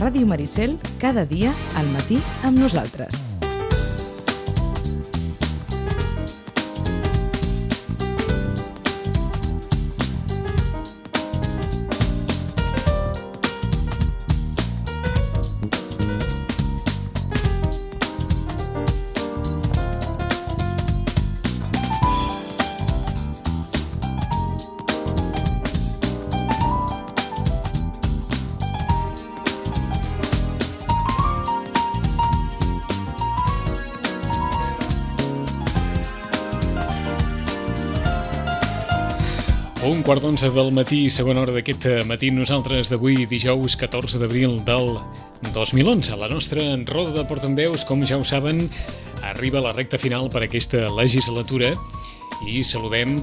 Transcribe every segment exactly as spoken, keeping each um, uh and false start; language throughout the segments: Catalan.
Ràdio Maricel, cada dia al matí amb nosaltres. Un quart d'onze del matí, segona hora d'aquest matí, nosaltres d'avui, dijous catorze d'abril del dos mil onze. La nostra roda de portaveus, com ja ho saben, arriba a la recta final per aquesta legislatura i saludem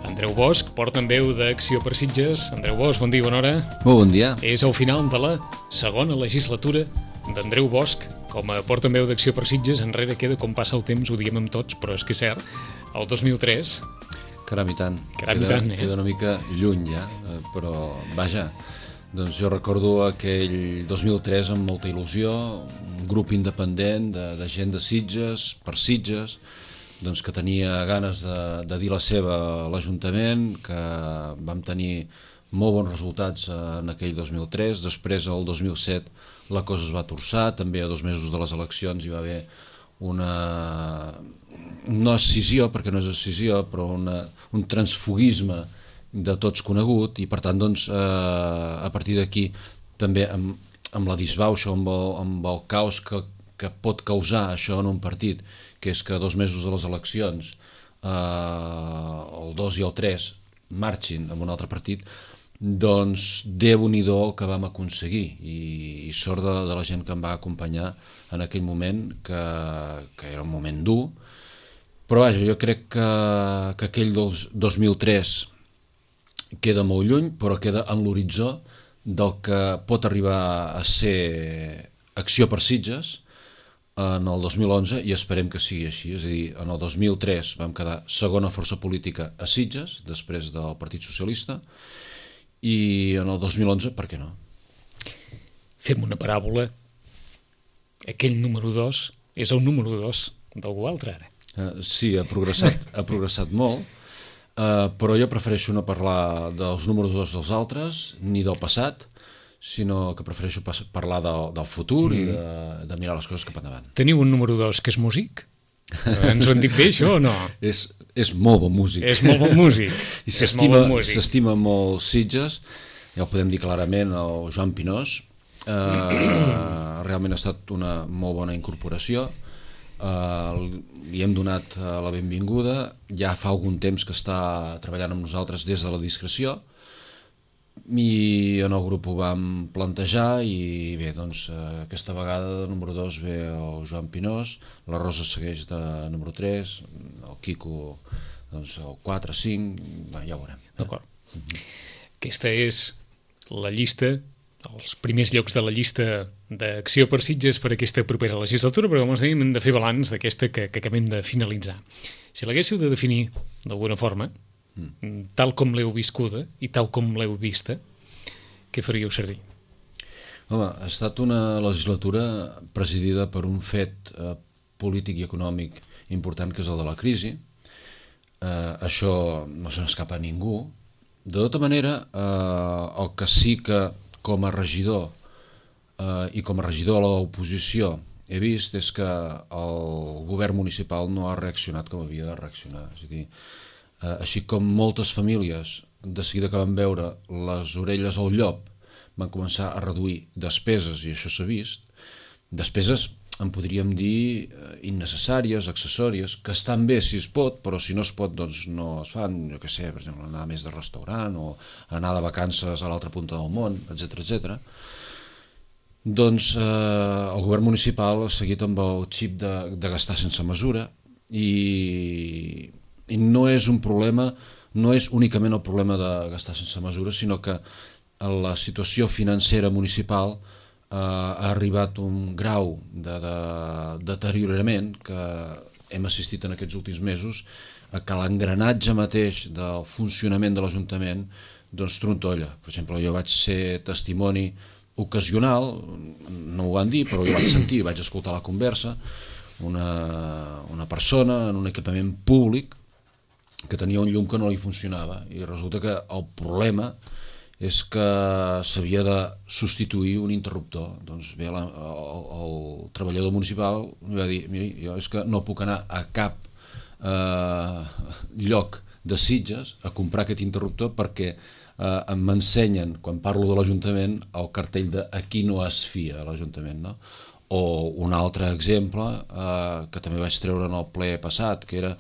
Andreu Bosch, portaveu d'Acció per Sitges. Andreu Bosch, bon dia, bona hora. Molt bon dia. És el final de la segona legislatura d'Andreu Bosch com a portaveu d'Acció per Sitges. Enrere queda, com passa el temps, ho diem amb tots, però és que és cert, el dos mil tres... Caram i tant. Caram i queda, tant, eh? Queda una mica lluny ja, però vaja, doncs jo recordo aquell dos mil tres amb molta il·lusió, un grup independent de, de gent de Sitges, per Sitges, doncs que tenia ganes de, de dir la seva a l'Ajuntament, que vam tenir molt bons resultats en aquell dos mil tres, després el dos mil set la cosa es va torçar, també a dos mesos de les eleccions hi va haver una... no escissió, perquè no és escissió, però una, un transfugisme de tots conegut, i per tant doncs, eh, a partir d'aquí també amb, amb la disbauxa, amb el, amb el caos que, que pot causar això en un partit, que és que a dos mesos de les eleccions eh, el dos i el tres marxin amb un altre partit, doncs Déu-n'hi-do el que vam aconseguir, i, i sort de, de la gent que em va acompanyar en aquell moment, que, que era un moment dur. Però vaja, jo crec que, que aquell dos, dos mil tres queda molt lluny, però queda en l'horitzó del que pot arribar a ser Acció per Sitges en el dos mil onze, i esperem que sigui així. És a dir, en el dos mil tres vam quedar segona força política a Sitges, després del Partit Socialista, i en el dos mil onze, per què no? Fem una paràbola. Aquell número dos és el número dos d'algú altre, ara. Uh, sí, ha progressat, ha progressat molt, uh, però jo prefereixo no parlar dels números dos dels altres, ni del passat, sinó que prefereixo pas- parlar del, del futur mm. i de, de mirar les coses cap endavant. Teniu un número dos que és músic? Ens ho han dit bé, això, o no? És, és molt bon músic. És molt bon músic. I És s'estima, molt bon músic. s'estima molt Sitges, ja ho podem dir clarament, el Joan Pinós. Uh, realment ha estat una molt bona incorporació. Uh, li hem donat uh, la benvinguda, ja fa algun temps que està treballant amb nosaltres des de la discreció, i en el grup ho vam plantejar, i bé, doncs uh, aquesta vegada de número dos ve el Joan Pinós, la Rosa segueix de número tres, el Quico doncs el quatre, cinc, va, ja ho veurem. D'acord. Mm-hmm. Aquesta és la llista, els primers llocs de la llista d'Acció per Sitges per aquesta propera legislatura, però com us dèiem hem de fer balanç d'aquesta que, que acabem de finalitzar. Si l'haguéssiu de definir d'alguna forma, mm. tal com l'heu viscuda i tal com l'heu vista, què faríeu servir? Home, ha estat una legislatura presidida per un fet eh, polític i econòmic important, que és el de la crisi. Eh, això no se n'escapa a ningú. De tota manera, eh, el que sí que com a regidor eh, i com a regidor a l'oposició he vist és que el govern municipal no ha reaccionat com havia de reaccionar. És a dir, eh, així com moltes famílies, de seguida que van veure les orelles al llop, van començar a reduir despeses, i això s'ha vist, despeses en podríem dir innecessàries, accessòries, que estan bé si es pot, però si no es pot doncs no es fan, jo què sé, per exemple, anar més de restaurant o anar de vacances a l'altra punta del món, etcètera, etcètera. Doncs eh, el govern municipal ha seguit amb el xip de, de gastar sense mesura, i, i no és un problema, no és únicament el problema de gastar sense mesura, sinó que la situació financera municipal Uh, ha arribat un grau de, de, de deteriorament que hem assistit en aquests últims mesos, a que l'engranatge mateix del funcionament de l'Ajuntament doncs trontolla. Per exemple, jo vaig ser testimoni ocasional, no ho van dir, però jo vaig sentir, vaig escoltar la conversa, una, una persona en un equipament públic que tenia un llum que no li funcionava, i resulta que el problema és que s'havia de substituir un interruptor. Doncs bé, la, el, el treballador municipal em va dir, mira, jo és que no puc anar a cap eh, lloc de Sitges a comprar aquest interruptor perquè eh, m'ensenyen, quan parlo de l'Ajuntament, el cartell de aquí no es fia l'Ajuntament, no? O un altre exemple eh, que també vaig treure en el ple passat, que era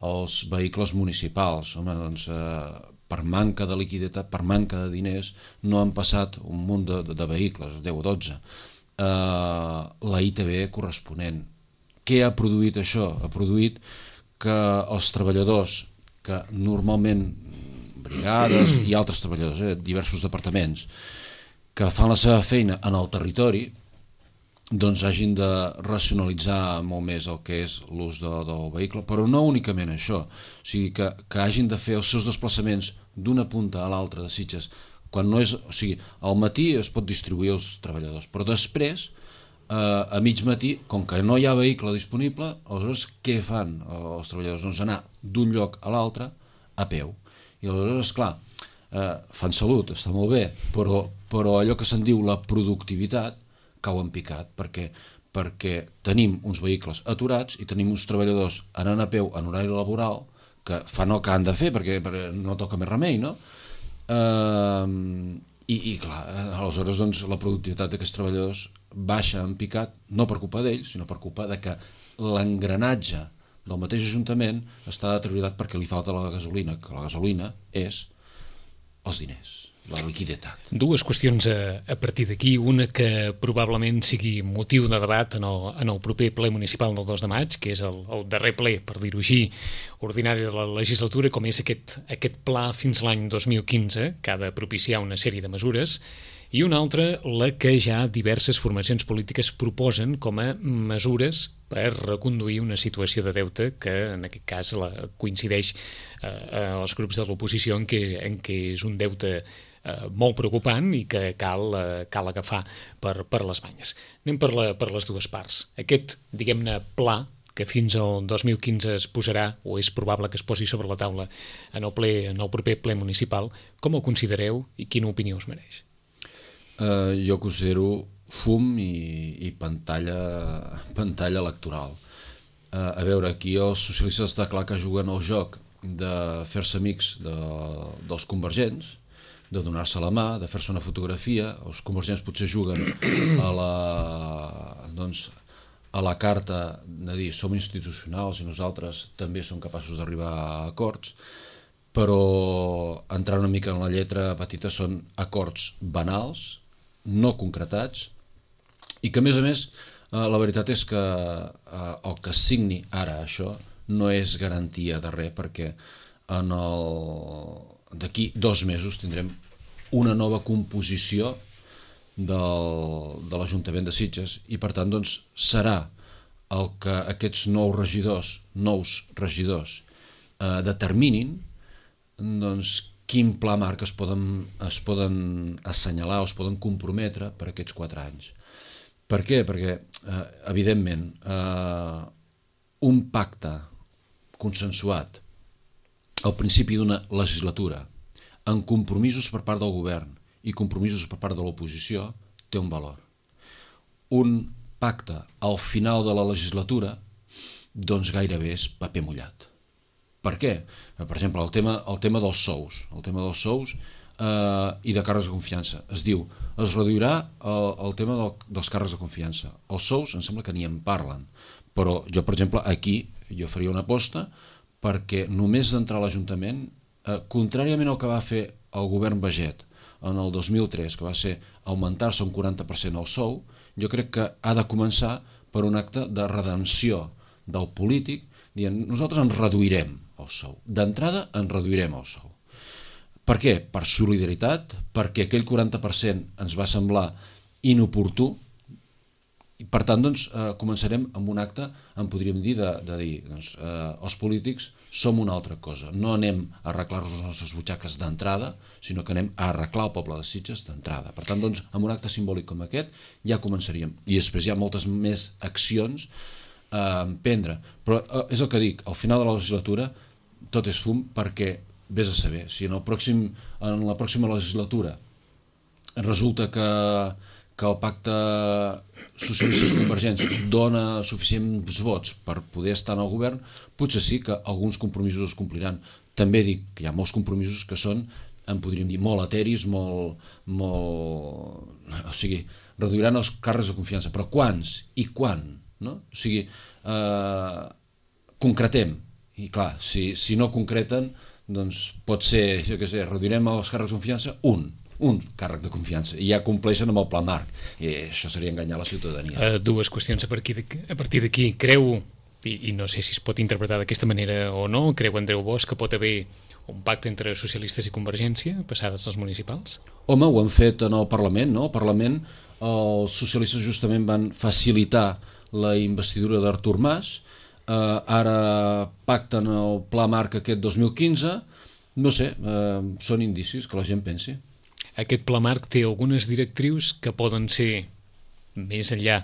els vehicles municipals. Home, doncs, eh, per manca de liquiditat, per manca de diners, no han passat un munt de, de, de vehicles, deu o dotze. Eh, la I T B corresponent. Què ha produït això? Ha produït que els treballadors, que normalment, brigades i altres treballadors, eh, diversos departaments, que fan la seva feina en el territori, doncs hagin de racionalitzar molt més el que és l'ús de, del vehicle, però no únicament això, o sigui, que, que hagin de fer els seus desplaçaments d'una punta a l'altra de Sitges, quan no és, o sigui, al matí es pot distribuir els treballadors, però després, eh, a mig matí, com que no hi ha vehicle disponible, aleshores què fan els treballadors? Doncs anar d'un lloc a l'altre a peu, i aleshores, esclar, eh, fan salut, està molt bé, però, però allò que se'n diu la productivitat cau en picat, perquè, perquè tenim uns vehicles aturats i tenim uns treballadors anant a peu en horari laboral que fan el que han de fer perquè, perquè no toca més remei, no? Eh, i, i clar, aleshores doncs, la productivitat d'aquests treballadors baixa en picat, no per culpa d'ells, sinó per culpa de que l'engranatge del mateix Ajuntament està deteriorat perquè li falta la gasolina, que la gasolina és els diners, la liquiditat. Dues qüestions a, a partir d'aquí, una que probablement sigui motiu de debat en el, en el proper ple municipal del dos de maig, que és el, el darrer ple, per dir-ho així, ordinari de la legislatura, com és aquest, aquest pla fins l'any dos mil quinze, que ha de propiciar una sèrie de mesures, i una altra, la que ja diverses formacions polítiques proposen com a mesures per reconduir una situació de deute que en aquest cas la, coincideix eh, als grups de l'oposició en què, en què és un deute eh, molt preocupant i que cal, eh, cal agafar per, per les banyes. Anem per, la, per les dues parts. Aquest, diguem-ne, pla que fins al dos mil quinze es posarà, o és probable que es posi sobre la taula en el, ple, en el proper ple municipal, com el considereu i quina opinió us mereix? Uh, jo considero fum i, i pantalla, pantalla electoral. Uh, a veure, aquí els socialistes està clar que juguen el joc de fer-se amics de, dels convergents, de donar-se la mà, de fer-se una fotografia. Els convergents potser juguen a la, doncs, a la carta de dir som institucionals i nosaltres també som capaços d'arribar a acords, però entrar una mica en la lletra petita són acords banals, no concretats, i que a més a més eh, la veritat és que eh, el que signi ara això no és garantia de res, perquè en el... d'aquí dos mesos tindrem una nova composició del... de l'Ajuntament de Sitges i per tant doncs, serà el que aquests nous regidors, nous regidors eh, determinin doncs, quin pla marc es poden, es poden assenyalar o es poden comprometre per aquests quatre anys. Per què? Perquè, eh, evidentment, eh, un pacte consensuat al principi d'una legislatura amb compromisos per part del govern i compromisos per part de l'oposició té un valor. Un pacte al final de la legislatura doncs gairebé és paper mullat. Per què? Per exemple, el tema, el tema dels sous, el tema dels sous eh, i de càrrecs de confiança. Es diu, es reduirà el, el tema del, dels càrrecs de confiança. Els sous em sembla que ni en parlen, però jo, per exemple, aquí jo faria una aposta perquè només d'entrar a l'Ajuntament, eh, contràriament al que va fer el govern Baget en el dos mil tres, que va ser augmentar-se un quaranta per cent el sou, jo crec que ha de començar per un acte de redempció del polític, dient, nosaltres ens reduirem el sou. D'entrada ens reduirem el sou. Per què? Per solidaritat, perquè aquell quaranta per cent ens va semblar inoportú, i per tant, doncs, eh, començarem amb un acte, en podríem dir, de, de dir, doncs, eh, els polítics som una altra cosa. No anem a arreglar-nos les nostres butxaques d'entrada, sinó que anem a arreglar el poble de Sitges d'entrada. Per tant, doncs, amb un acte simbòlic com aquest ja començaríem. I després hi ha moltes més accions a emprendre. Però eh, és el que dic, al final de la legislatura tot és fum, perquè vés a saber, si en, el pròxim, en la pròxima legislatura resulta que que el pacte socialistes convergents dona suficients vots per poder estar en el govern, potser sí que alguns compromisos es compliran. També dic que hi ha molts compromisos que són, en podríem dir, molt eteris, molt, molt... O sigui, reduiran els càrrecs de confiança. Però quants i quan? No? O sigui, eh, concretem. I clar, si, si no concreten, doncs pot ser, jo què sé, reduirem els càrrecs de confiança, un. un càrrec de confiança, i ja compleixen amb el pla marc, i això seria enganyar la ciutadania. Uh, dues qüestions a partir d'aquí. A partir d'aquí, creu, i, i no sé si es pot interpretar d'aquesta manera o no, creu Andreu Bosch que pot haver un pacte entre socialistes i Convergència passades les municipals? Home, ho han fet en el Parlament, no? Al Parlament els socialistes justament van facilitar la investidura d'Artur Mas, uh, ara pacten el pla marc aquest dos mil quinze, no sé, uh, són indicis que la gent pensi. Aquest pla marc té algunes directrius que poden ser, més enllà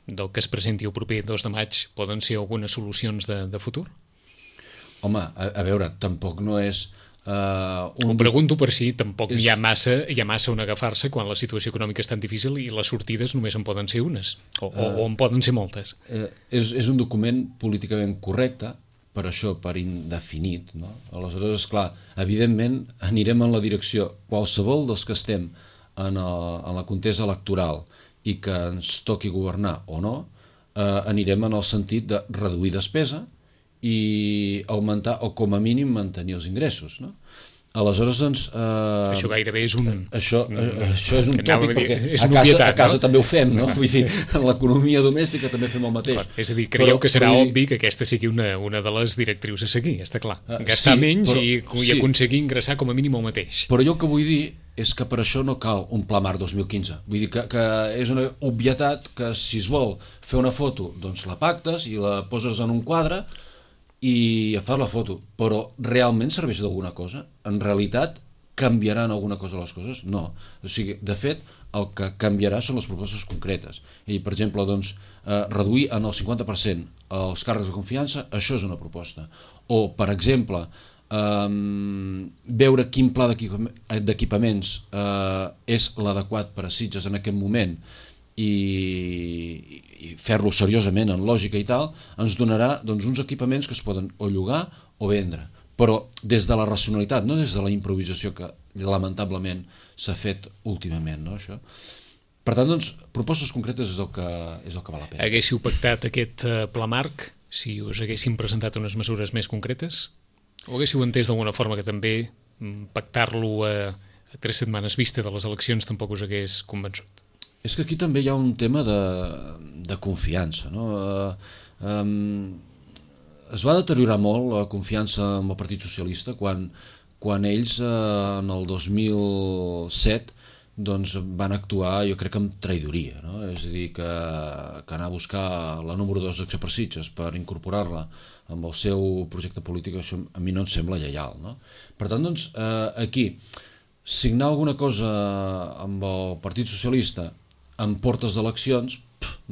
del que es presenti el proper dos de maig, poden ser algunes solucions de, de futur? Home, a, a veure, tampoc no és... Uh, un... Ho pregunto per si tampoc és... hi ha massa hi ha massa on agafar-se quan la situació econòmica és tan difícil i les sortides només en poden ser unes, o, uh, o en poden ser moltes. Uh, és, és un document políticament correcte, per això, per indefinit, no? Aleshores, esclar, evidentment anirem en la direcció, qualsevol dels que estem en, el, en la contesa electoral i que ens toqui governar o no, eh, anirem en el sentit de reduir despesa i augmentar, o com a mínim mantenir els ingressos, no? Aleshores, doncs... Eh, això gairebé és un... Això, eh, això és un tòpic, dir, perquè és a, un casa, obvietat, a casa no? també ho fem, no? Vull dir, en l'economia domèstica també fem el mateix. Clar, és a dir, creieu però, que serà però, obvi que aquesta sigui una, una de les directrius a seguir, està clar. Gastar sí, menys però, i, i sí. aconseguir ingressar com a mínim el mateix. Però jo el que vull dir és que per això no cal un pla marc dos mil quinze. Vull dir que, que és una obvietat que si es vol fer una foto, doncs la pactes i la poses en un quadre i fas la foto. Però realment serveix d'alguna cosa? En realitat canviaran alguna cosa les coses? No. O sigui, de fet, el que canviarà són les propostes concretes. I, per exemple, doncs, eh, reduir en el cinquanta per cent els càrrecs de confiança, això és una proposta. O, per exemple, eh, veure quin pla d'equipaments eh, és l'adequat per a Sitges en aquest moment i, i fer-lo seriosament, en lògica i tal, ens donarà doncs, uns equipaments que es poden o llogar o vendre. Però des de la racionalitat, no des de la improvisació que lamentablement s'ha fet últimament, no, això? Per tant, doncs, propostes concretes és el que, és el que val la pena. Haguéssiu pactat aquest uh, pla marc si us haguéssim presentat unes mesures més concretes? O haguéssiu entès d'alguna forma que també pactar-lo a, a tres setmanes vista de les eleccions tampoc us hagués convençut? És que aquí també hi ha un tema de, de confiança, no? Uh, um, es va deteriorar molt la confiança en el Partit Socialista quan, quan ells eh, en el dos mil set doncs, van actuar, jo crec, amb traïdoria, no? És a dir, que, que anar a buscar la número dos d'Acció per Sitges per incorporar-la amb el seu projecte polític, això a mi no em sembla lleial, no? Per tant, doncs, eh, aquí, signar alguna cosa amb el Partit Socialista en portes d'eleccions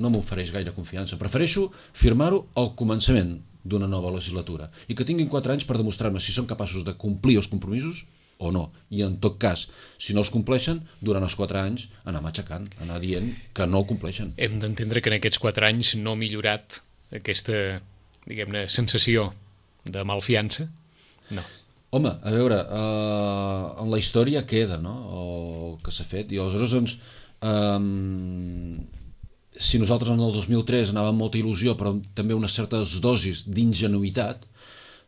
no m'ofereix gaire confiança. Prefereixo firmar-ho al començament d'una nova legislatura i que tinguin quatre anys per demostrar-me si són capaços de complir els compromisos o no, i en tot cas, si no els compleixen, durant els quatre anys anar matxacant, anar dient que no ho compleixen. Hem d'entendre que en aquests quatre anys no ha millorat aquesta, diguem-ne, sensació de malfiança? No. Home, a veure, eh, en la història queda, no?, el que s'ha fet, i aleshores, doncs, eh, si nosaltres en el dos mil tres anàvem amb molta il·lusió, però també unes certes dosis d'ingenuïtat,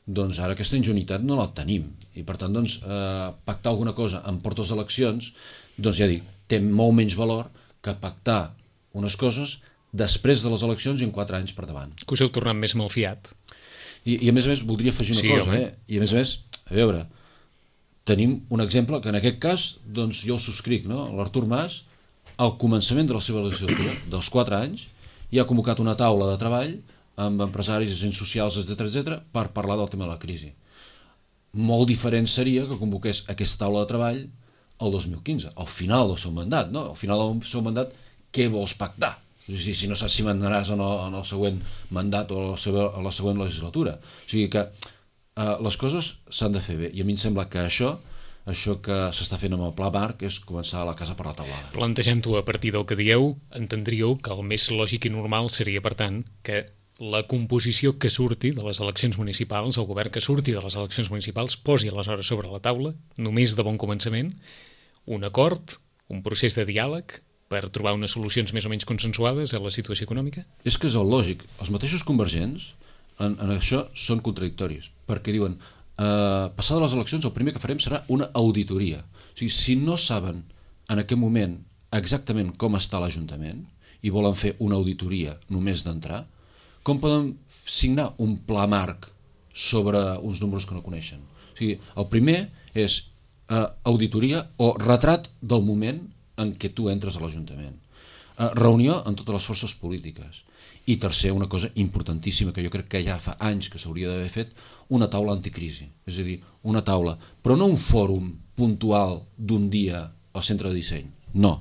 doncs ara aquesta ingenuïtat no la tenim. I per tant, doncs, eh, pactar alguna cosa en portes d'eleccions, doncs ja dic, té molt menys valor que pactar unes coses després de les eleccions i en quatre anys per davant. Que us heu tornat més malfiat. I, i a més a més voldria afegir una sí, cosa, home. eh? I a més a més, a veure, tenim un exemple que en aquest cas, doncs jo el subscric, no? L'Artur Mas al començament de la seva legislatura, dels quatre anys, i ha convocat una taula de treball amb empresaris, agents socials, etcètera, etcètera, per parlar del tema de la crisi. Molt diferent seria que convoqués aquesta taula de treball el dos mil quinze, al final del seu mandat, no? Al final del seu mandat, què vols pactar? Si, si no saps si mandaràs en el, en el següent mandat o a la, seva, a la següent legislatura. O sigui que eh, les coses s'han de fer bé, i a mi em sembla que això això que s'està fent amb el Pla Marc és començar a la casa per la taulada. Plantejant-ho a partir del que dieu, entendríeu que el més lògic i normal seria, per tant, que la composició que surti de les eleccions municipals, el govern que surti de les eleccions municipals, posi aleshores sobre la taula, només de bon començament, un acord, un procés de diàleg per trobar unes solucions més o menys consensuades a la situació econòmica? És que és el lògic. Els mateixos convergents en, en això són contradictoris, perquè diuen Uh, passades les eleccions el primer que farem serà una auditoria. O sigui, si no saben en aquest moment exactament com està l'Ajuntament i volen fer una auditoria només d'entrar, com poden signar un pla marc sobre uns números que no coneixen? O sigui, el primer és uh, auditoria o retrat del moment en què tu entres a l'Ajuntament. Uh, reunió amb totes les forces polítiques. I tercer, una cosa importantíssima que jo crec que ja fa anys que s'hauria d'haver fet, una taula anticrisi, és a dir, una taula, però no un fòrum puntual d'un dia al centre de disseny, no.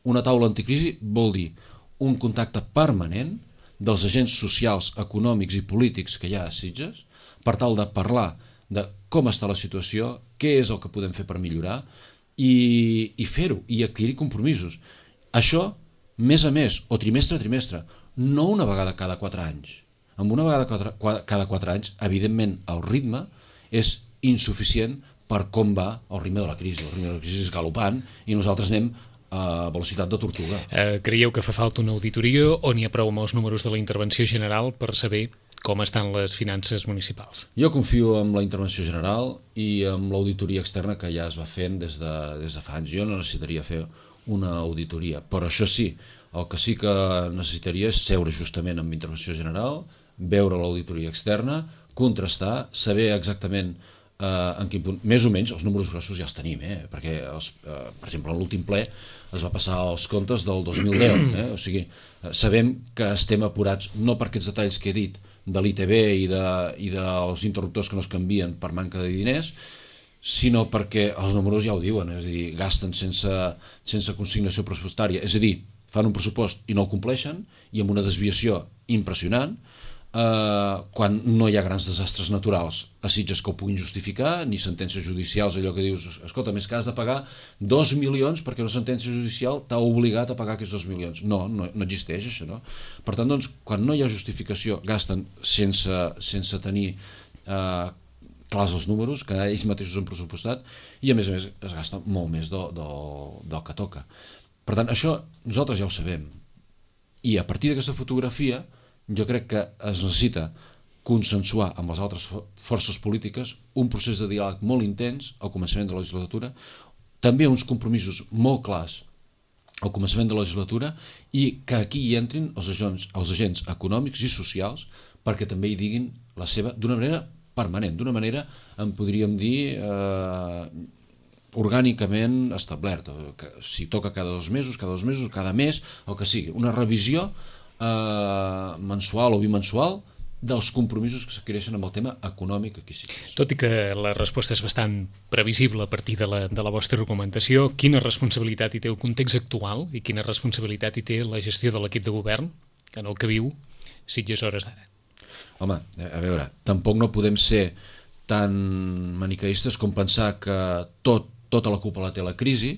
Una taula anticrisi vol dir un contacte permanent dels agents socials, econòmics i polítics que hi ha a Sitges per tal de parlar de com està la situació, què és el que podem fer per millorar i, i fer-ho, i adquirir compromisos. Això, mes a mes o trimestre a trimestre, no una vegada cada quatre anys. Amb una vegada cada, cada quatre anys, evidentment, el ritme és insuficient per com va el ritme de la crisi. El ritme de la crisi és galopant i nosaltres anem a velocitat de tortuga. Eh, creieu que fa falta una auditoria o n'hi ha prou amb els números de la intervenció general per saber com estan les finances municipals? Jo confio en la intervenció general i en l'auditoria externa que ja es va fent des de, des de fa anys. Jo no necessitaria fer una auditoria, però això sí, el que sí que necessitaria és seure justament amb intervenció general, veure l'auditoria externa, contrastar, saber exactament eh, en quin punt, més o menys els números grossos ja els tenim, eh? Perquè els, eh, per exemple en l'últim ple es va passar els comptes del dos mil deu, eh? O sigui, eh, sabem que estem apurats no per aquests detalls que he dit de l'I T B i, de, i dels interruptors que no es canvien per manca de diners, sinó perquè els números ja ho diuen, és a dir, gasten sense, sense consignació pressupostària, és a dir, fan un pressupost i no el compleixen i amb una desviació impressionant, eh, quan no hi ha grans desastres naturals a Sitges que ho puguin justificar, ni sentències judicials, allò que dius, escolta, més que has de pagar dos milions perquè una sentència judicial t'ha obligat a pagar aquests dos milions. No, no, no existeix això, no? Per tant, doncs, quan no hi ha justificació, gasten sense, sense tenir eh, clars els números, que ells mateixos han pressupostat, i a més a més es gasta molt més del, del, del que toca. Per tant, això nosaltres ja ho sabem. I a partir d'aquesta fotografia, jo crec que es necessita consensuar amb les altres forces polítiques un procés de diàleg molt intens al començament de la legislatura, també uns compromisos molt clars al començament de la legislatura i que aquí hi entrin els agents, els agents econòmics i socials perquè també hi diguin la seva d'una manera permanent, d'una manera, en podríem dir, eh, orgànicament establert, que si toca cada dos mesos, cada dos mesos, cada mes, el que sigui, una revisió eh, mensual o bimensual dels compromisos que s'adquireixen amb el tema econòmic aquí sí. Tot i que la resposta és bastant previsible a partir de la, de la vostra argumentació, quina responsabilitat hi té el context actual i quina responsabilitat hi té la gestió de l'equip de govern en el que viu Sitges a hores d'ara? Home, a veure, tampoc no podem ser tan maniqueistes com pensar que tot, tota la culpa la té la crisi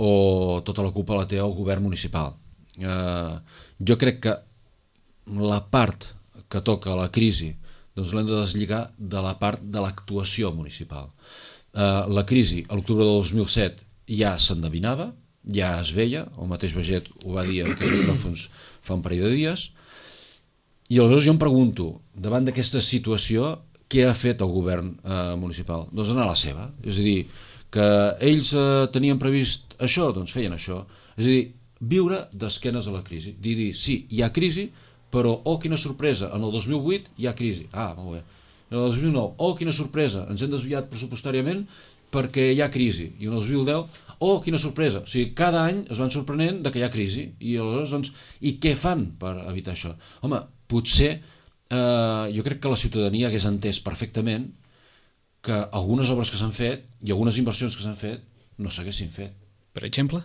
o tota la culpa la té el govern municipal. Eh, jo crec que la part que toca la crisi doncs l'hem de deslligar de la part de l'actuació municipal. Eh, la crisi a l'octubre del dos mil set ja s'endevinava, ja es veia, el mateix Baget ho va dir en aquests micròfons fa un parell de dies, i aleshores jo em pregunto, davant d'aquesta situació, què ha fet el govern eh, municipal? Doncs anar a la seva, és a dir, que ells eh, tenien previst això, doncs feien això, és a dir, viure d'esquenes a la crisi, dir, dir, sí, hi ha crisi, però, oh, quina sorpresa, en el dos mil vuit hi ha crisi, ah, molt bé, en el dos mil nou, oh, quina sorpresa, ens hem desviat pressupostàriament perquè hi ha crisi, i en el dos mil deu, oh, quina sorpresa, o sigui, cada any es van sorprenent de que hi ha crisi, i aleshores, doncs, i què fan per evitar això? Home, potser, eh, jo crec que la ciutadania hagués entès perfectament que algunes obres que s'han fet i algunes inversions que s'han fet no s'haguessin fet. Per exemple?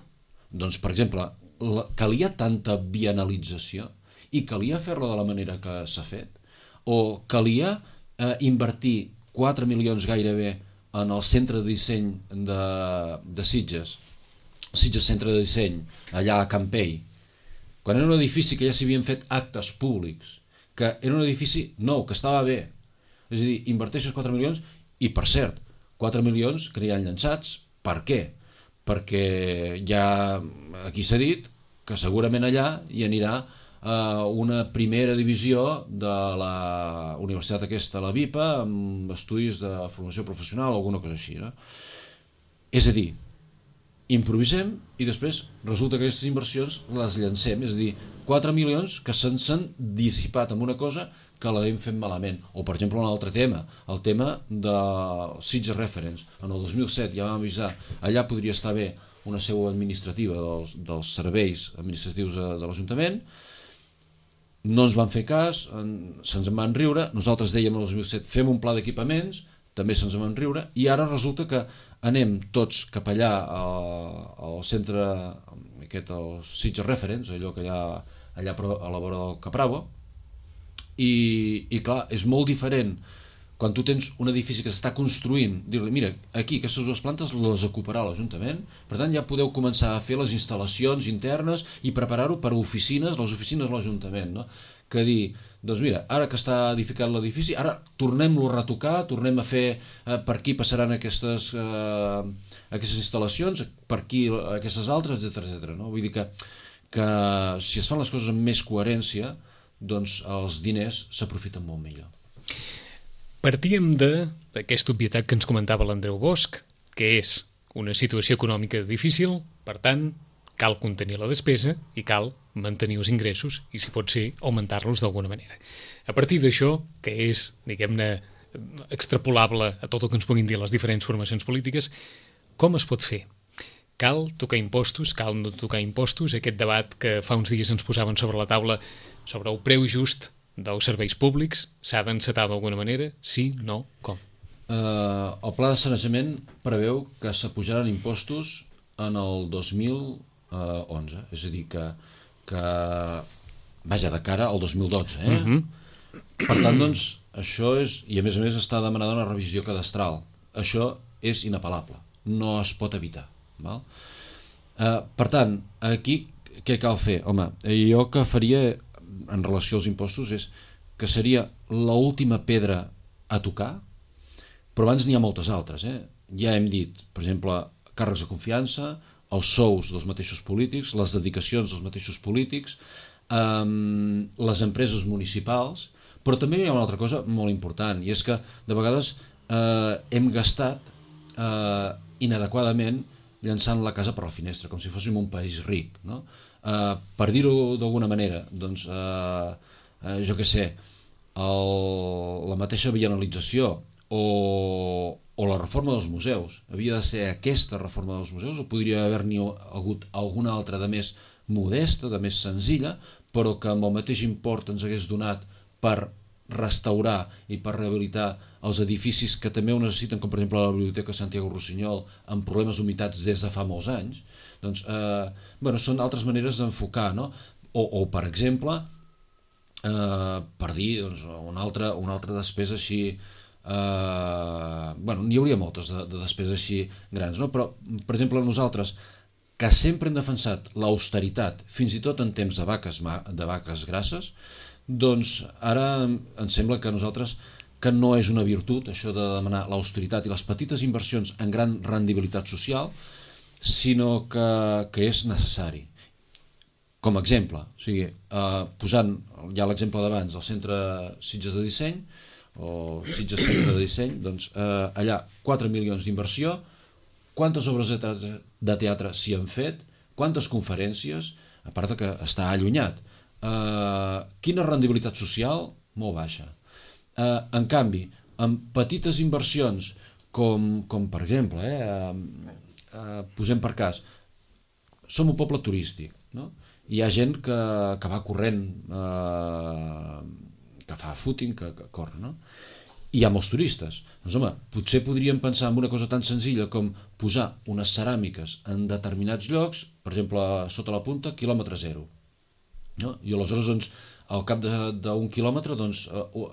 Doncs, per exemple, la, calia tanta bienalització i calia fer-la de la manera que s'ha fet? O calia eh, invertir quatre milions gairebé en el centre de disseny de, de Sitges, Sitges Centre de Disseny, allà a Campell, quan era un edifici que ja s'hi havien fet actes públics, que era un edifici nou, que estava bé. És a dir, inverteixes quatre milions i, per cert, quatre milions que hi han llançats. Per què? Perquè ja aquí s'ha dit que segurament allà hi anirà Uh, una primera divisió de la universitat aquesta, la VIPA, amb estudis de formació professional o alguna cosa així, no? És a dir, improvisem i després resulta que aquestes inversions les llancem, és a dir, quatre milions que se'ns han dissipat en una cosa que l'hem fet malament. O, per exemple, un altre tema, el tema de Sitges Reference. En el dos mil set ja vam avisar, allà podria estar bé una seu administrativa dels, dels serveis administratius de, de l'Ajuntament. No ens van fer cas, se'ns en van riure, nosaltres dèiem el dos mil set fem un pla d'equipaments, també se'ns en van riure, i ara resulta que anem tots cap allà al, al centre, aquest, el Sitges Reference, allò que hi ha allà a la vora del Capravo, i, i clar, és molt diferent quan tu tens un edifici que s'està construint, dir-li, mira, aquí aquestes dues plantes les ocuparà l'Ajuntament, per tant ja podeu començar a fer les instal·lacions internes i preparar-ho per a oficines, les oficines de l'Ajuntament, no? Que dir, doncs mira, ara que està edificat l'edifici, ara tornem-lo a retocar, tornem a fer, eh, per aquí passaran aquestes, eh, aquestes instal·lacions, per aquí aquestes altres, etcètera, etcètera, no? Vull dir que, que si es fan les coses amb més coherència, doncs els diners s'aprofiten molt millor. Partíem d'aquesta obvietat que ens comentava l'Andreu Bosch, que és una situació econòmica difícil, per tant, cal contenir la despesa i cal mantenir els ingressos i, si pot ser, augmentar-los d'alguna manera. A partir d'això, que és, diguem-ne, extrapolable a tot el que ens puguin dir les diferents formacions polítiques, com es pot fer? Cal tocar impostos, cal no tocar impostos? Aquest debat que fa uns dies ens posaven sobre la taula sobre el preu just dels serveis públics, s'ha d'encetar d'alguna manera? Sí, no, com? Uh, el pla de sanejament preveu que s'apujaran impostos en el dos mil onze, és a dir, que, que vaja, de cara al dos mil dotze, eh? Uh-huh. Per tant, doncs, això és, i a més a més està demanada una revisió cadastral, això és inapel·lable, no es pot evitar, val? Uh, per tant, aquí què cal fer? Home, jo que faria en relació als impostos és que seria l'última pedra a tocar, però abans n'hi ha moltes altres, eh? Ja hem dit, per exemple, càrrecs de confiança, els sous dels mateixos polítics, les dedicacions dels mateixos polítics, eh, les empreses municipals, però també hi ha una altra cosa molt important, i és que de vegades eh, hem gastat eh, inadequadament llançant la casa per la finestra, com si fóssim un país ric, no? Uh, per dir-ho d'alguna manera, doncs, uh, uh, jo què sé, el, la mateixa bienalització o, o la reforma dels museus. Havia de ser aquesta reforma dels museus o podria haver-n'hi hagut alguna altra de més modesta, de més senzilla, però que amb el mateix import ens hagués donat per restaurar i per rehabilitar els edificis que també ho necessiten, com per exemple la Biblioteca Santiago Rossinyol, amb problemes d'humitats des de fa molts anys. Doncs, eh, bueno, són altres maneres d'enfocar, no? O, o per exemple, eh, per dir doncs, una, altra, una altra despesa així, eh, bueno, n'hi hauria moltes de, de despeses així grans, no? Però, per exemple, nosaltres, que sempre hem defensat l'austeritat, fins i tot en temps de vaques, de vaques grasses, doncs ara em sembla que nosaltres que no és una virtut això de demanar l'austeritat i les petites inversions en gran rendibilitat social, sinó que, que és necessari. Com a exemple, o sigui, eh, posant ja l'exemple d'abans del centre Sitges de Disseny, o Sitges Centre de Disseny, doncs eh, allà quatre milions d'inversió, quantes obres de teatre, de teatre s'hi han fet, quantes conferències, a part que està allunyat. Eh, quina rendibilitat social? Molt baixa. Eh, en canvi, amb petites inversions, com, com per exemple, eh, eh, posem per cas, som un poble turístic, no? Hi ha gent que, que va corrent, eh, que fa footing, que, que corre, no? I hi ha molts turistes. Doncs home, potser podríem pensar en una cosa tan senzilla com posar unes ceràmiques en determinats llocs, per exemple, sota la punta, quilòmetre zero. No? I aleshores, doncs, al cap d'un quilòmetre, doncs,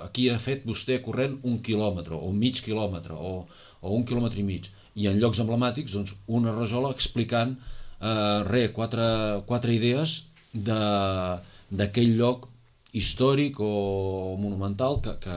aquí ha fet vostè corrent un quilòmetre, o mig quilòmetre, o, o un quilòmetre i mig. I en llocs emblemàtics, doncs, una rajola explicant eh, re, quatre, quatre idees d'aquell lloc històric o monumental que, que,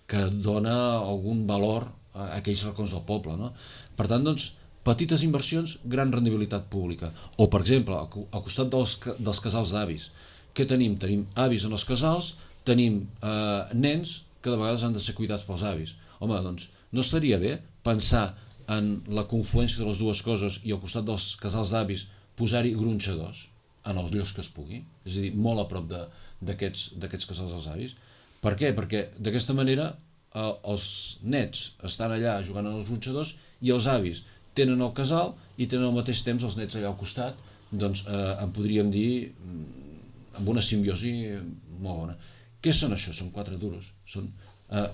que dona algun valor a aquells racons del poble, no? Per tant, doncs, petites inversions, gran rendibilitat pública. O, per exemple, al costat dels, dels casals d'avis, què tenim? Tenim avis en els casals, tenim eh, nens que de vegades han de ser cuidats pels avis. Home, doncs, no estaria bé pensar en la confluència de les dues coses i al costat dels casals d'avis posar-hi gronxadors en els llocs que es pugui, és a dir, molt a prop d'aquests casals dels avis. Per què? Perquè d'aquesta manera eh, els nets estan allà jugant en els gronxadors i els avis tenen el casal i tenen al mateix temps els nets allà al costat, doncs eh, en podríem dir amb una simbiosi molt bona. Què són això? Són quatre duros. Són, eh,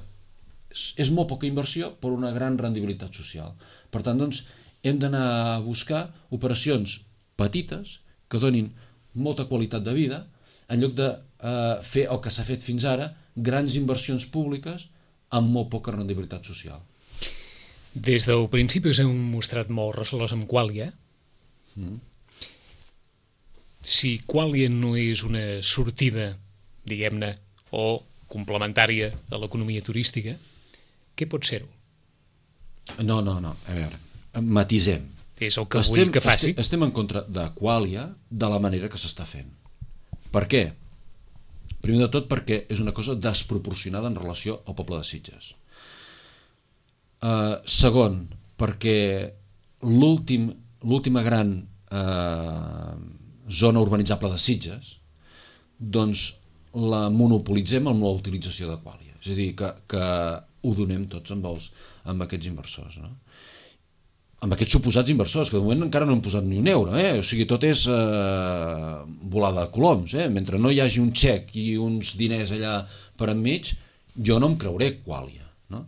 és molt poca inversió per una gran rendibilitat social. Per tant, doncs, hem d'anar a buscar operacions petites que donin molta qualitat de vida en lloc de eh, fer el que s'ha fet fins ara, grans inversions públiques amb molt poca rendibilitat social. Des del principi us heu mostrat molt recelós amb Qualia. Mm. Si Qualia no és una sortida, diguem-ne, o complementària a l'economia turística, què pot ser-ho? No, no, no, a veure, matisem. És el que estem, vull que faci. Estem, estem en contra de Qualia de la manera que s'està fent. Per què? Primer de tot perquè és una cosa desproporcionada en relació al poble de Sitges. Uh, segon, perquè l'últim, l'última gran uh, zona urbanitzable de Sitges, doncs la monopolitzem amb la utilització de Qualia. És a dir, que, que ho donem tots amb, els, amb aquests inversors, no? Amb aquests suposats inversors, que de moment encara no han posat ni un euro, eh? O sigui, tot és eh, volada de coloms, eh? Mentre no hi hagi un xec i uns diners allà per enmig, jo no em creuré Qualia, no?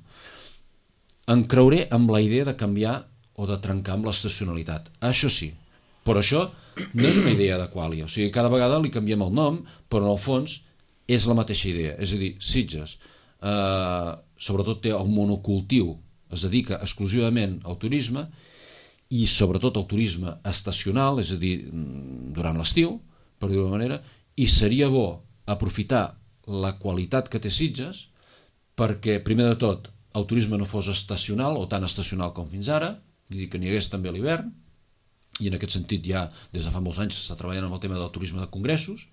Em creuré amb la idea de canviar o de trencar amb l'estacionalitat, això sí, però això no és una idea de Qualia, o sigui, cada vegada li canviem el nom, però en el fons és la mateixa idea, és a dir, Sitges eh, sobretot té el monocultiu, es dedica exclusivament al turisme i sobretot al turisme estacional, és a dir, durant l'estiu, per dir-ho d'una manera, i seria bo aprofitar la qualitat que té Sitges perquè, primer de tot, el turisme no fos estacional o tan estacional com fins ara, vull dir que n'hi hagués també a l'hivern, i en aquest sentit ja des de fa molts anys s'està treballant amb el tema del turisme de congressos,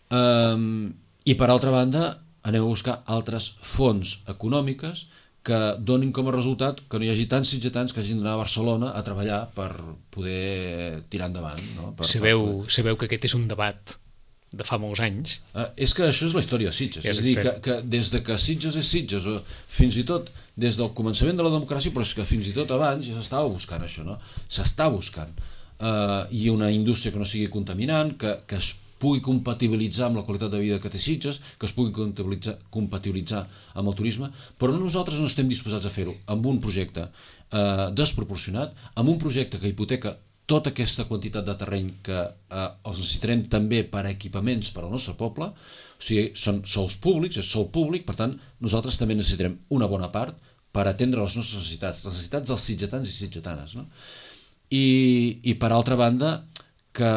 um, i per altra banda anem a buscar altres fonts econòmiques que donin com a resultat que no hi hagi tants sitgetans que hagin d'anar a Barcelona a treballar per poder tirar endavant. No? Per, sabeu, per poder... sabeu que aquest és un debat de fa molts anys. Uh, és que això és la història de Sitges. Ja és a dir, que, que des de que Sitges és Sitges, o fins i tot des del començament de la democràcia, però és que fins i tot abans ja s'estava buscant això, no? S'està buscant. Uh, I una indústria que no sigui contaminant, que, que es pugui compatibilitzar amb la qualitat de vida que té Sitges, que es pugui compatibilitzar, compatibilitzar amb el turisme, però nosaltres no estem disposats a fer-ho amb un projecte eh, desproporcionat, amb un projecte que hipoteca tota aquesta quantitat de terreny que eh, els necessitarem també per a equipaments per al nostre poble, o sigui, són sols públics, és sol públic, per tant, nosaltres també necessitarem una bona part per atendre les nostres necessitats, les necessitats dels sitgetans i sitgetanes, no? I, i per altra banda, Que,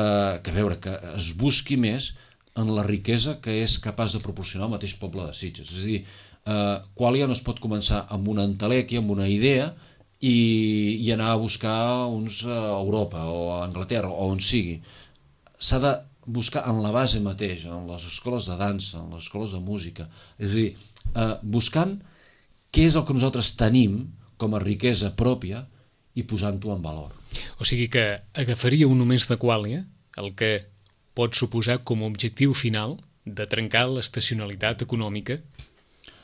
que veure, que es busqui més en la riquesa que és capaç de proporcionar el mateix poble de Sitges. És a dir, eh, Qualia no es pot començar amb una entelèquia, amb una idea i, i anar a buscar uns a Europa o a Anglaterra o on sigui. S'ha de buscar en la base mateix, en les escoles de dansa, en les escoles de música. És a dir, eh, buscant què és el que nosaltres tenim com a riquesa pròpia i posant-ho en valor. O sigui que agafaríeu només de Qualia el que pot suposar com a objectiu final de trencar l'estacionalitat econòmica.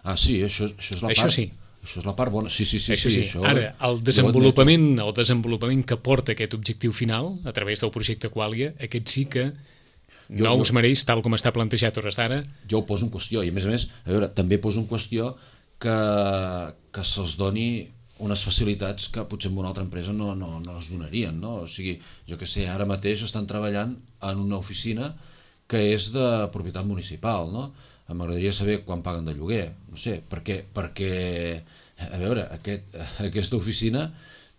Ah, sí, això, això és la això part... sí. Això és la part bona. Sí, sí, sí. Això sí, sí. Això, Ara, el desenvolupament, el desenvolupament que porta aquest objectiu final, a través del projecte Qualia, aquest sí que jo, no jo, us mereix, tal com està plantejat hores d'ara. Jo ho poso en qüestió, i a més a més, a veure, també poso en qüestió que, que se'ls doni unes facilitats que potser en una altra empresa no, no, no es donarien, no? O sigui, jo que sé, ara mateix estan treballant en una oficina que és de propietat municipal, no? M'agradaria saber quan paguen de lloguer, no sé, perquè, perquè a veure, aquest, aquesta oficina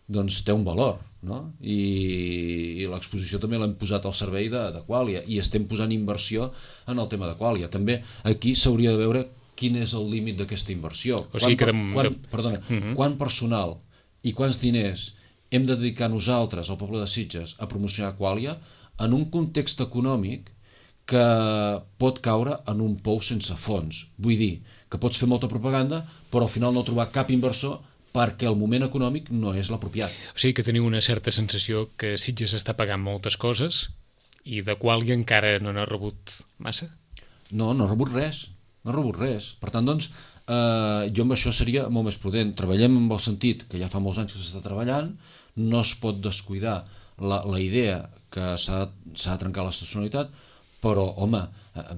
doncs té un valor, no? I, i l'exposició també l'hem posat al servei de, de Qualia, i estem posant inversió en el tema de Qualia. També aquí s'hauria de veure quin és el límit d'aquesta inversió. O sigui quan, que... quan, perdona, uh -huh. Quant personal i quants diners hem de dedicar nosaltres, al poble de Sitges, a promocionar Qualia en un context econòmic que pot caure en un pou sense fons. Vull dir, que pots fer molta propaganda, però al final no trobar cap inversor perquè el moment econòmic no és l'apropiat. O sigui que teniu una certa sensació que Sitges està pagant moltes coses i de Qualia encara no n'ha rebut massa? No, no ha rebut res. No ha rebut res. Per tant, doncs, eh, jo amb això seria molt més prudent. Treballem amb el sentit que ja fa molts anys que s'està treballant, no es pot descuidar la, la idea que s'ha de trencar l'estacionalitat, però, home,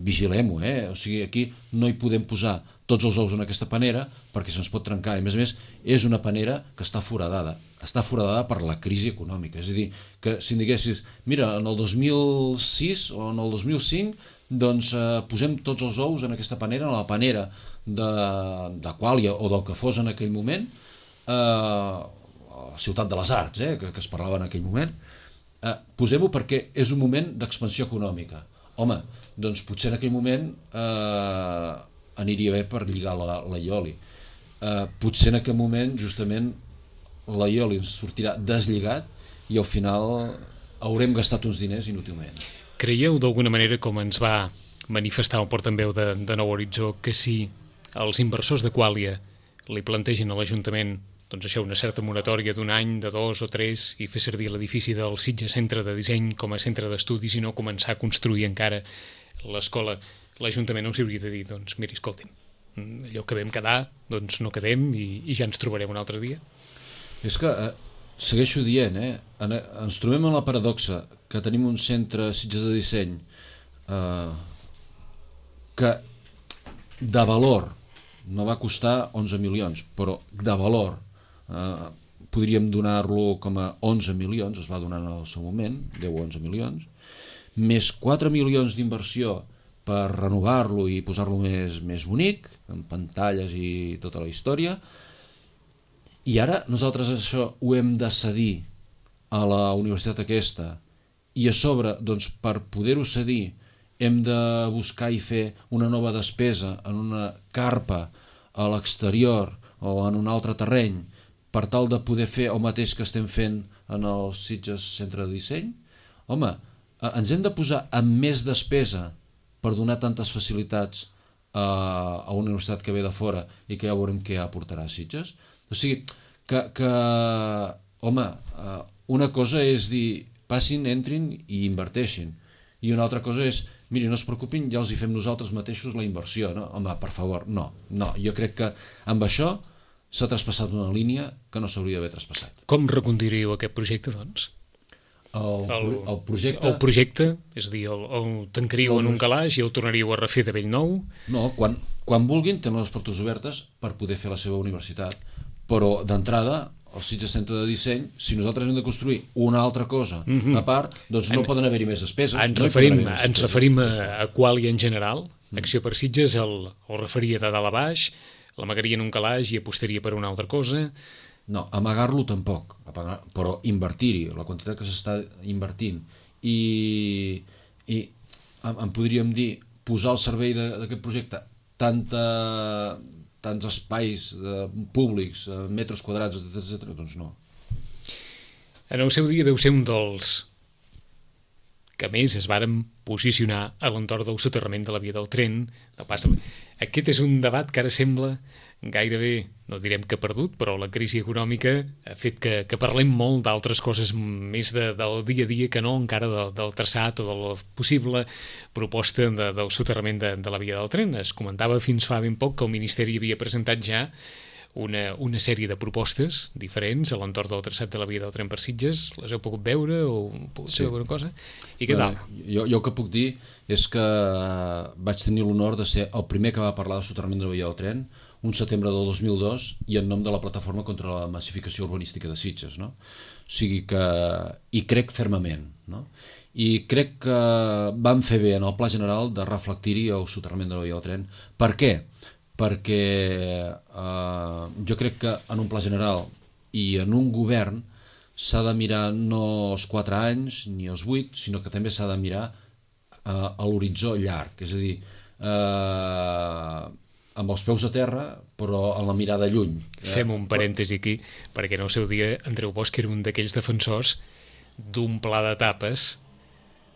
vigilem-ho, eh? O sigui, aquí no hi podem posar tots els ous en aquesta panera perquè se'ns pot trencar. I, a més a més, és una panera que està foradada. Està foradada per la crisi econòmica. És a dir, que si em diguessis, mira, en el dos mil sis o en el dos mil cinc, doncs eh, posem tots els ous en aquesta panera, en la panera de, de Qualia o del que fos en aquell moment, eh, a Ciutat de les Arts, eh, que, que es parlava en aquell moment, eh, posem-ho perquè és un moment d'expansió econòmica. Home, doncs potser en aquell moment eh, aniria bé per lligar la, la Ioli. Eh, potser en aquell moment justament la Ioli ens sortirà deslligat i al final haurem gastat uns diners inútilment. Creieu d'alguna manera, com ens va manifestar el portaveu de, de Nou Horitzó, que si els inversors de Qualia li plantegen a l'Ajuntament doncs això, una certa moratòria d'un any, de dos o tres, i fer servir l'edifici del Sitges Centre de Disseny com a centre d'estudis i no començar a construir encara l'escola, l'Ajuntament no s'hi hauria de dir, doncs miri, escolti'm, allò que vam quedar, doncs no quedem i, i ja ens trobarem un altre dia. És que eh, segueixo dient, eh, en, ens trobem en la paradoxa que tenim un centre Sitges de Disseny eh, que de valor no va costar onze milions, però de valor eh, podríem donar-lo com a onze milions, es va donar en el seu moment, deu o onze milions, més quatre milions d'inversió per renovar-lo i posar-lo més, més bonic, amb pantalles i tota la història, i ara nosaltres això ho hem de cedir a la universitat aquesta, i a sobre, doncs, per poder-ho cedir, hem de buscar i fer una nova despesa en una carpa a l'exterior o en un altre terreny per tal de poder fer el mateix que estem fent en el Sitges Centre de Disseny. Home, ens hem de posar amb més despesa per donar tantes facilitats a, a una universitat que ve de fora i que ja veurem què aportarà a Sitges. O sigui, que, que home, una cosa és dir passin, entrin i inverteixin, i una altra cosa és, miri, no es preocupin, ja els hi fem nosaltres mateixos la inversió, no? Home, per favor, no, no, jo crec que amb això s'ha traspassat una línia que no s'hauria d'haver traspassat. Com reconduiríeu aquest projecte, doncs? El, el, el projecte... El projecte, és a dir, el, el tancaríeu el... en un calaix i el tornaríeu a refer de bell nou? No, quan, quan vulguin tenen les portes obertes per poder fer la seva universitat, però d'entrada el Sitges Centre de Disseny, si nosaltres hem de construir una altra cosa mm-hmm. a part, doncs no en, poden haver-hi més despeses. Ens no referim, més ens despeses. referim a, a Qualia en general, mm. Acció per Sitges el, el referia de dalt a baix, l'amagaria en un calaix i apostaria per una altra cosa. No, amagar-lo tampoc, apagar, però invertir-hi, la quantitat que s'està invertint, i, i en, en podríem dir, posar al servei d'aquest projecte tanta... tants espais eh, públics, eh, metres quadrats, etcètera, doncs no. En el seu dia veu ser un dels que més es varen posicionar a l'entorn del soterrament de la via del tren. Del pas. Aquest és un debat que ara sembla gairebé, no direm que perdut, però la crisi econòmica ha fet que, que parlem molt d'altres coses més de, del dia a dia que no encara de, del traçat o de la possible proposta de, del soterrament de, de la via del tren. Es comentava fins fa ben poc que el Ministeri havia presentat ja una, una sèrie de propostes diferents a l'entorn del traçat de la via del tren per Sitges. Les heu pogut veure o pogut Sí. saber alguna cosa? I què tal? Jo, jo el que puc dir és que vaig tenir l'honor de ser el primer que va parlar de soterrament de la via del tren un setembre del dos mil dos i en nom de la Plataforma contra la Massificació Urbanística de Sitges, no? O sigui que hi crec fermament, no? I crec que vam fer bé en el Pla General de reflectir-hi el soterrament de la via del tren. Per què? Perquè eh, jo crec que en un pla general i en un govern s'ha de mirar no els quatre anys ni els vuit, sinó que també s'ha de mirar eh, a l'horitzó llarg, és a dir, eh, amb els peus a terra però amb la mirada lluny. Fem un parèntesi aquí, perquè en el seu dia Andreu Bosch era un d'aquells defensors d'un pla d'etapes,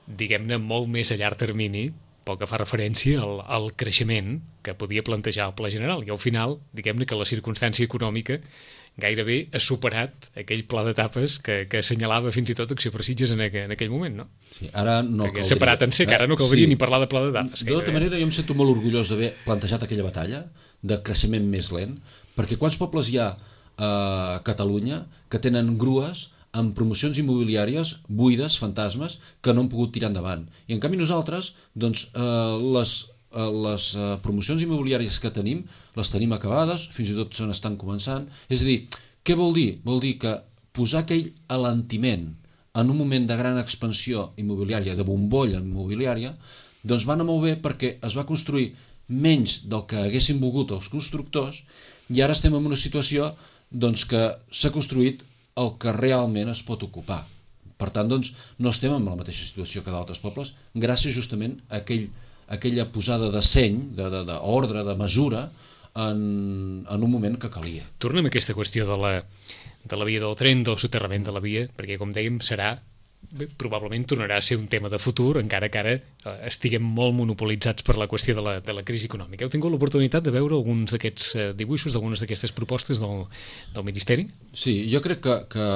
diguem-ne, molt més a llarg termini, pel que fa referència al, al creixement que podia plantejar el Pla General. I al final, diguem-ne que la circumstància econòmica gairebé ha superat aquell pla d'etapes que, que assenyalava fins i tot Acció per Sitges en, aqu en aquell moment, no? Sí, ara no Perquè caldria. separat en ser, que ara no caldria Sí. ni parlar de pla d'etapes. De tota manera, jo em sento molt orgullós d'haver plantejat aquella batalla de creixement més lent, perquè quants pobles hi ha a Catalunya que tenen grues amb promocions immobiliàries buides, fantasmes, que no han pogut tirar endavant. I en canvi nosaltres, doncs, eh, les, eh, les eh, promocions immobiliàries que tenim, les tenim acabades, fins i tot se n'estan començant. És a dir, què vol dir? Vol dir que posar aquell alentiment en un moment de gran expansió immobiliària, de bombolla immobiliària, doncs va anar molt bé perquè es va construir menys del que haguessin volgut els constructors i ara estem en una situació doncs, que s'ha construït el que realment es pot ocupar. Per tant, doncs, no estem en la mateixa situació que d'altres pobles, gràcies justament a aquell, a aquella posada de seny, d'ordre, de, de, de mesura, en, en un moment que calia. Tornem a aquesta qüestió de la, de la via del tren, del soterrament de la via, perquè, com dèiem, serà bé, probablement tornarà a ser un tema de futur, encara que ara eh, estiguem molt monopolitzats per la qüestió de la, de la crisi econòmica. Heu tingut l'oportunitat de veure alguns d'aquests eh, dibuixos, d'algunes d'aquestes propostes del, del Ministeri? Sí, jo crec que, que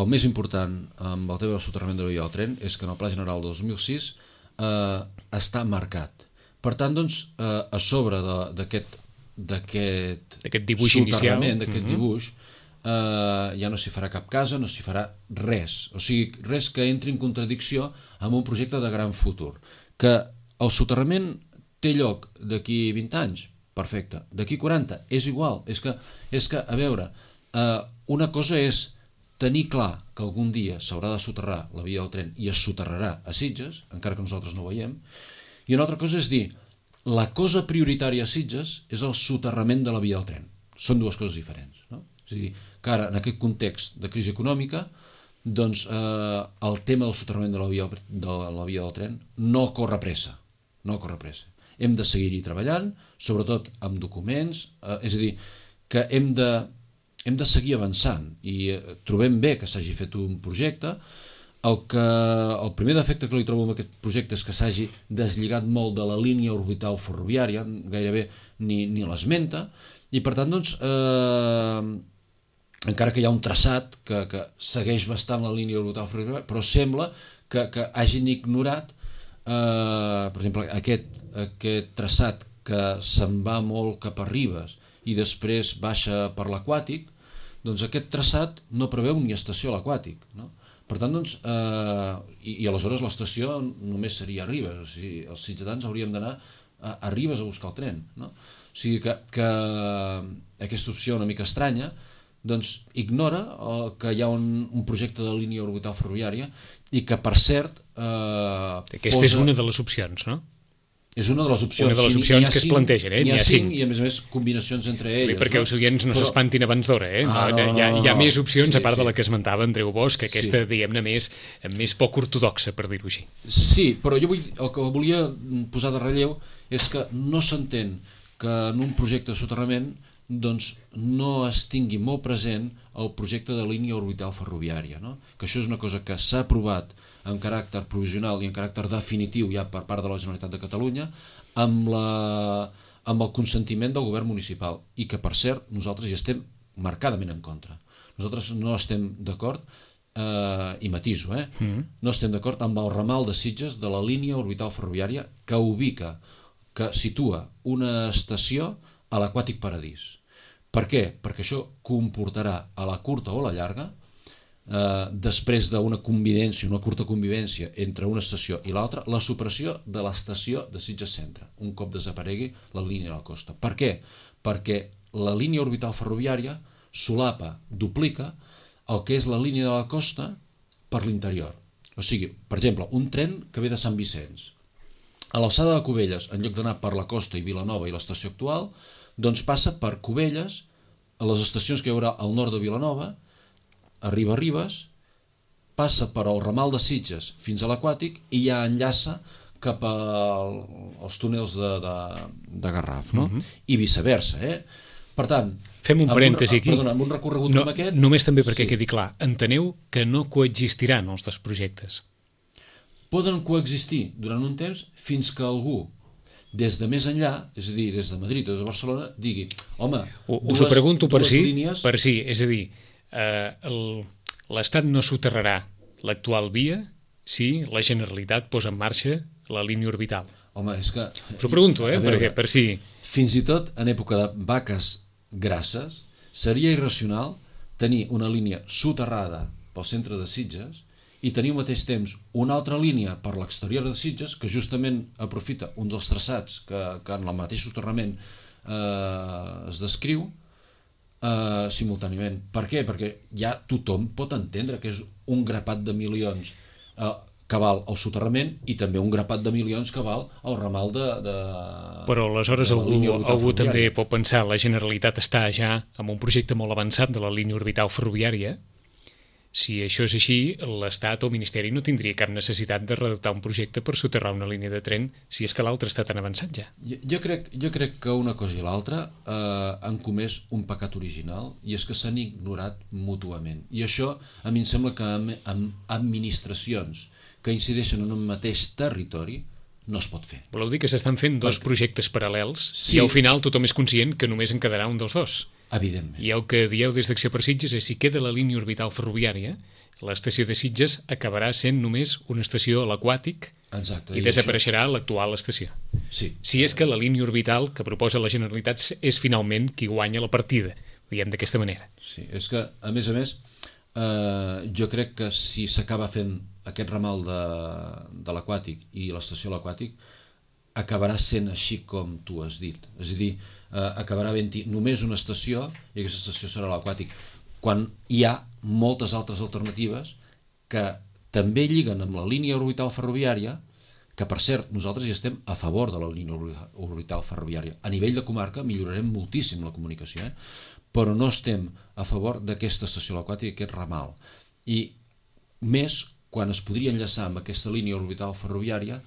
el més important amb el tema del soterrament de la via del tren és que en el Pla General del dos mil sis eh, està marcat. Per tant, doncs, eh, a sobre d'aquest d'aquest dibuix inicial, d'aquest uh-huh. dibuix, Uh, ja no s'hi farà cap casa, no s'hi farà res, o sigui, res que entri en contradicció amb un projecte de gran futur. Que el soterrament té lloc d'aquí vint anys, perfecte, d'aquí quaranta, és igual, és que, és que a veure, uh, una cosa és tenir clar que algun dia s'haurà de soterrar la via del tren i es soterrarà a Sitges, encara que nosaltres no ho veiem, i una altra cosa és dir, la cosa prioritària a Sitges és el soterrament de la via del tren. Són dues coses diferents, no? És a dir, que ara, en aquest context de crisi econòmica, doncs eh, el tema del soterrament de la, via, de la via del tren no corre pressa, no corre pressa. Hem de seguir-hi treballant, sobretot amb documents, eh, és a dir, que hem de, hem de seguir avançant i eh, trobem bé que s'hagi fet un projecte. El, que, el primer defecte que li trobo en aquest projecte és que s'hagi deslligat molt de la línia orbital ferroviària, gairebé ni, ni l'esmenta, i per tant, doncs, eh, encara que hi ha un traçat que, que segueix bastant la línia orbital ferroviària, però sembla que, que hagin ignorat, eh, per exemple, aquest, aquest traçat que se'n va molt cap a Ribes i després baixa per l'Aquàtic, doncs aquest traçat no preveu ni estació a l'Aquàtic, no? Per tant, doncs, eh, i, i aleshores l'estació només seria a Ribes, o sigui, els sitgetans hauríem d'anar a, a Ribes a buscar el tren, no? O sigui que, que aquesta opció una mica estranya doncs ignora eh, que hi ha un, un projecte de línia orbital ferroviària i que, per cert... Eh, Aquesta posa... és una de les opcions, no? És una de les opcions. Una de les opcions sí, que cinc, es plantegen, eh? N'hi ha, ha cinc, i a més a més combinacions entre elles. Bé, perquè no? Els oients no Però... s'espantin abans d'hora, eh? Ah, no, no, hi, ha, hi ha no, més opcions, sí, a part sí. de la que esmentava Andreu Bosch, que aquesta, sí. diguem-ne, més, més poc ortodoxa, per dir-ho així. Sí, però jo vull, el que volia posar de relleu és que no s'entén que en un projecte de soterrament doncs no es tingui molt present el projecte de línia orbital ferroviària, no? Que això és una cosa que s'ha aprovat en caràcter provisional i en caràcter definitiu ja per part de la Generalitat de Catalunya amb, la, amb el consentiment del govern municipal i que, per cert, nosaltres hi estem marcadament en contra. Nosaltres no estem d'acord, eh, i matiso, eh? Mm. no estem d'acord amb el ramal de Sitges de la línia orbital ferroviària que ubica, que situa una estació a l'Aquàtic Paradís. Per què? Perquè això comportarà a la curta o a la llarga, eh, després d'una convivència, una curta convivència entre una estació i l'altra, la supressió de l'estació de Sitges Centre, un cop desaparegui la línia de la costa. Per què? Perquè la línia orbital ferroviària solapa, duplica el que és la línia de la costa per l'interior. O sigui, per exemple, un tren que ve de Sant Vicenç, a l'alçada de Cubelles, en lloc d'anar per la costa i Vilanova i l'estació actual, doncs passa per Cubelles, a les estacions que hi haurà al nord de Vilanova, arriba a Ribes, passa per el ramal de Sitges fins a l'Aquàtic i ja enllaça cap al, als túnels de, de, de Garraf, no? Uh-huh. I viceversa, eh? Per tant... Fem un parèntesi aquí. Perdona, amb un recorregut no, com aquest... Només també perquè sí. quedi clar. Enteneu que no coexistiran els dos projectes. Poden coexistir durant un temps fins que algú, des de més enllà, és a dir, des de Madrid o des de Barcelona, digui, home, U, dues, us ho pregunto per si, línies... per si, és a dir, eh, l'Estat no soterrarà l'actual via si la Generalitat posa en marxa la línia orbital. Home, és que... Us ho pregunto, eh, veure, perquè per si... Fins i tot en època de vaques grasses seria irracional tenir una línia soterrada pel centre de Sitges i tenir al mateix temps una altra línia per l'exterior de Sitges que justament aprofita un dels traçats que, que en el mateix soterrament eh, es descriu eh, simultàniament. Per què? Perquè ja tothom pot entendre que és un grapat de milions eh, que val el soterrament i també un grapat de milions que val el ramal de... de Però aleshores algú, algú també pot pensar la Generalitat està ja amb un projecte molt avançat de la línia orbital ferroviària. Si això és així, l'Estat o el Ministeri no tindria cap necessitat de redactar un projecte per soterrar una línia de tren si és que l'altre està tan avançat ja. Jo, jo, crec, jo crec que una cosa i l'altra eh, han comès un pecat original i és que s'han ignorat mútuament. I això a mi em sembla que amb, amb administracions que incideixen en un mateix territori no es pot fer. Voleu dir que s'estan fent dos Perquè... projectes paral·lels sí. i al final tothom és conscient que només en quedarà un dels dos? Evidentment. I el que dieu des d'Acció per Sitges és si queda la línia orbital ferroviària, l'estació de Sitges acabarà sent només una estació a l'Aquàtic Exacte, i, i desapareixerà això... l'actual estació. Sí. Si és que la línia orbital que proposa la Generalitat és finalment qui guanya la partida, diguem d'aquesta manera. Sí, és que, a més a més, eh, jo crec que si s'acaba fent aquest ramal de, de l'Aquàtic i l'estació a l'Aquàtic, acabarà sent així com tu has dit. És a dir, eh, acabarà havent-hi només una estació i aquesta estació serà l'Aquàtic, quan hi ha moltes altres alternatives que també lliguen amb la línia orbital ferroviària, que per cert, nosaltres hi estem a favor de la línia orbital ferroviària. A nivell de comarca millorarem moltíssim la comunicació, eh? Però no estem a favor d'aquesta estació a l'Aquàtic, aquest ramal. I més quan es podria enllaçar amb aquesta línia orbital ferroviària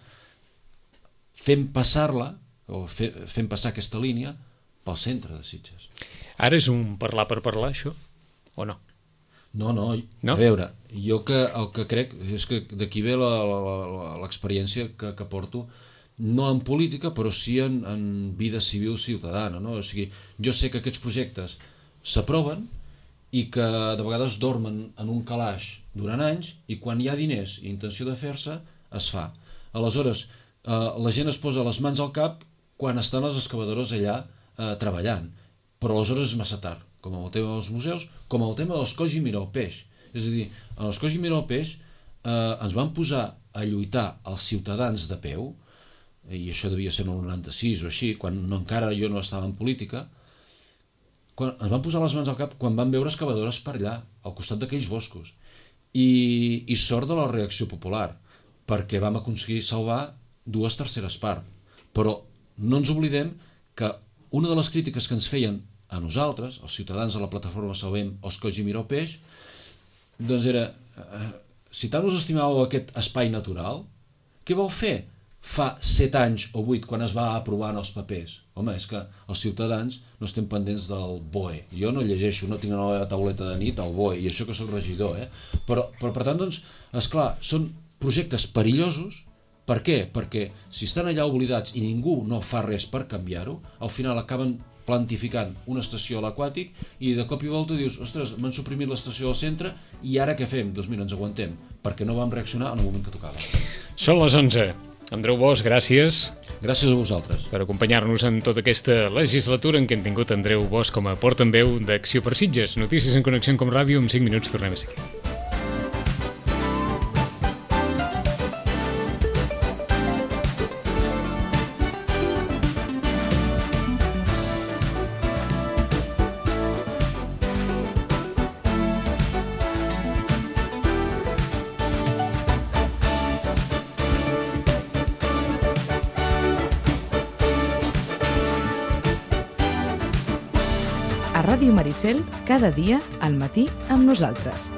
fent passar-la, o fe, fent passar aquesta línia pel centre de Sitges. Ara és un parlar per parlar, això? O no? No, no, no? A veure, jo que, el que crec és que d'aquí ve l'experiència que, que porto, no en política, però sí en, en vida civil ciutadana, no? O sigui, jo sé que aquests projectes s'aproven i que de vegades dormen en un calaix durant anys i quan hi ha diners i intenció de fer-se, es fa. Aleshores, eh, la gent es posa les mans al cap quan estan les excavadores allà eh, treballant, però aleshores és massa tard, com amb el tema dels museus, com amb el tema dels Coll i Mira el Peix. És a dir, en els Coll i Mira el Peix eh, ens van posar a lluitar els ciutadans de peu, i això devia ser en el noranta-sis o així, quan no, encara jo no estava en política, quan ens van posar les mans al cap quan van veure excavadores per allà, al costat d'aquells boscos. I, i sort de la reacció popular, perquè vam aconseguir salvar dues terceres parts. Però no ens oblidem que una de les crítiques que ens feien a nosaltres, els ciutadans de la plataforma Salvem els Colls i Mira el Peix, doncs era, eh, si tant us estimàveu aquest espai natural, què vau fer fa set anys o vuit quan es va aprovar en els papers? Home, és que els ciutadans no estem pendents del B O E. Jo no llegeixo, no tinc una tauleta de nit al B O E, i això que soc regidor, eh? Però, però per tant, doncs, esclar, són projectes perillosos. Per què? Perquè si estan allà oblidats i ningú no fa res per canviar-ho, al final acaben plantificant una estació a l'Aquàtic i de cop i volta dius, ostres, m'han suprimit l'estació al centre i ara què fem? Doncs mira, ens aguantem, perquè no vam reaccionar en el moment que tocava. Són les onze. Andreu Bosch, gràcies. Gràcies a vosaltres. Per acompanyar-nos en tota aquesta legislatura en què hem tingut Andreu Bosch com a portaveu d'Acció per Sitges. Notícies en Connexió com Ràdio, en cinc minuts tornem a seguir. A Ràdio Maricel, cada dia al matí amb nosaltres.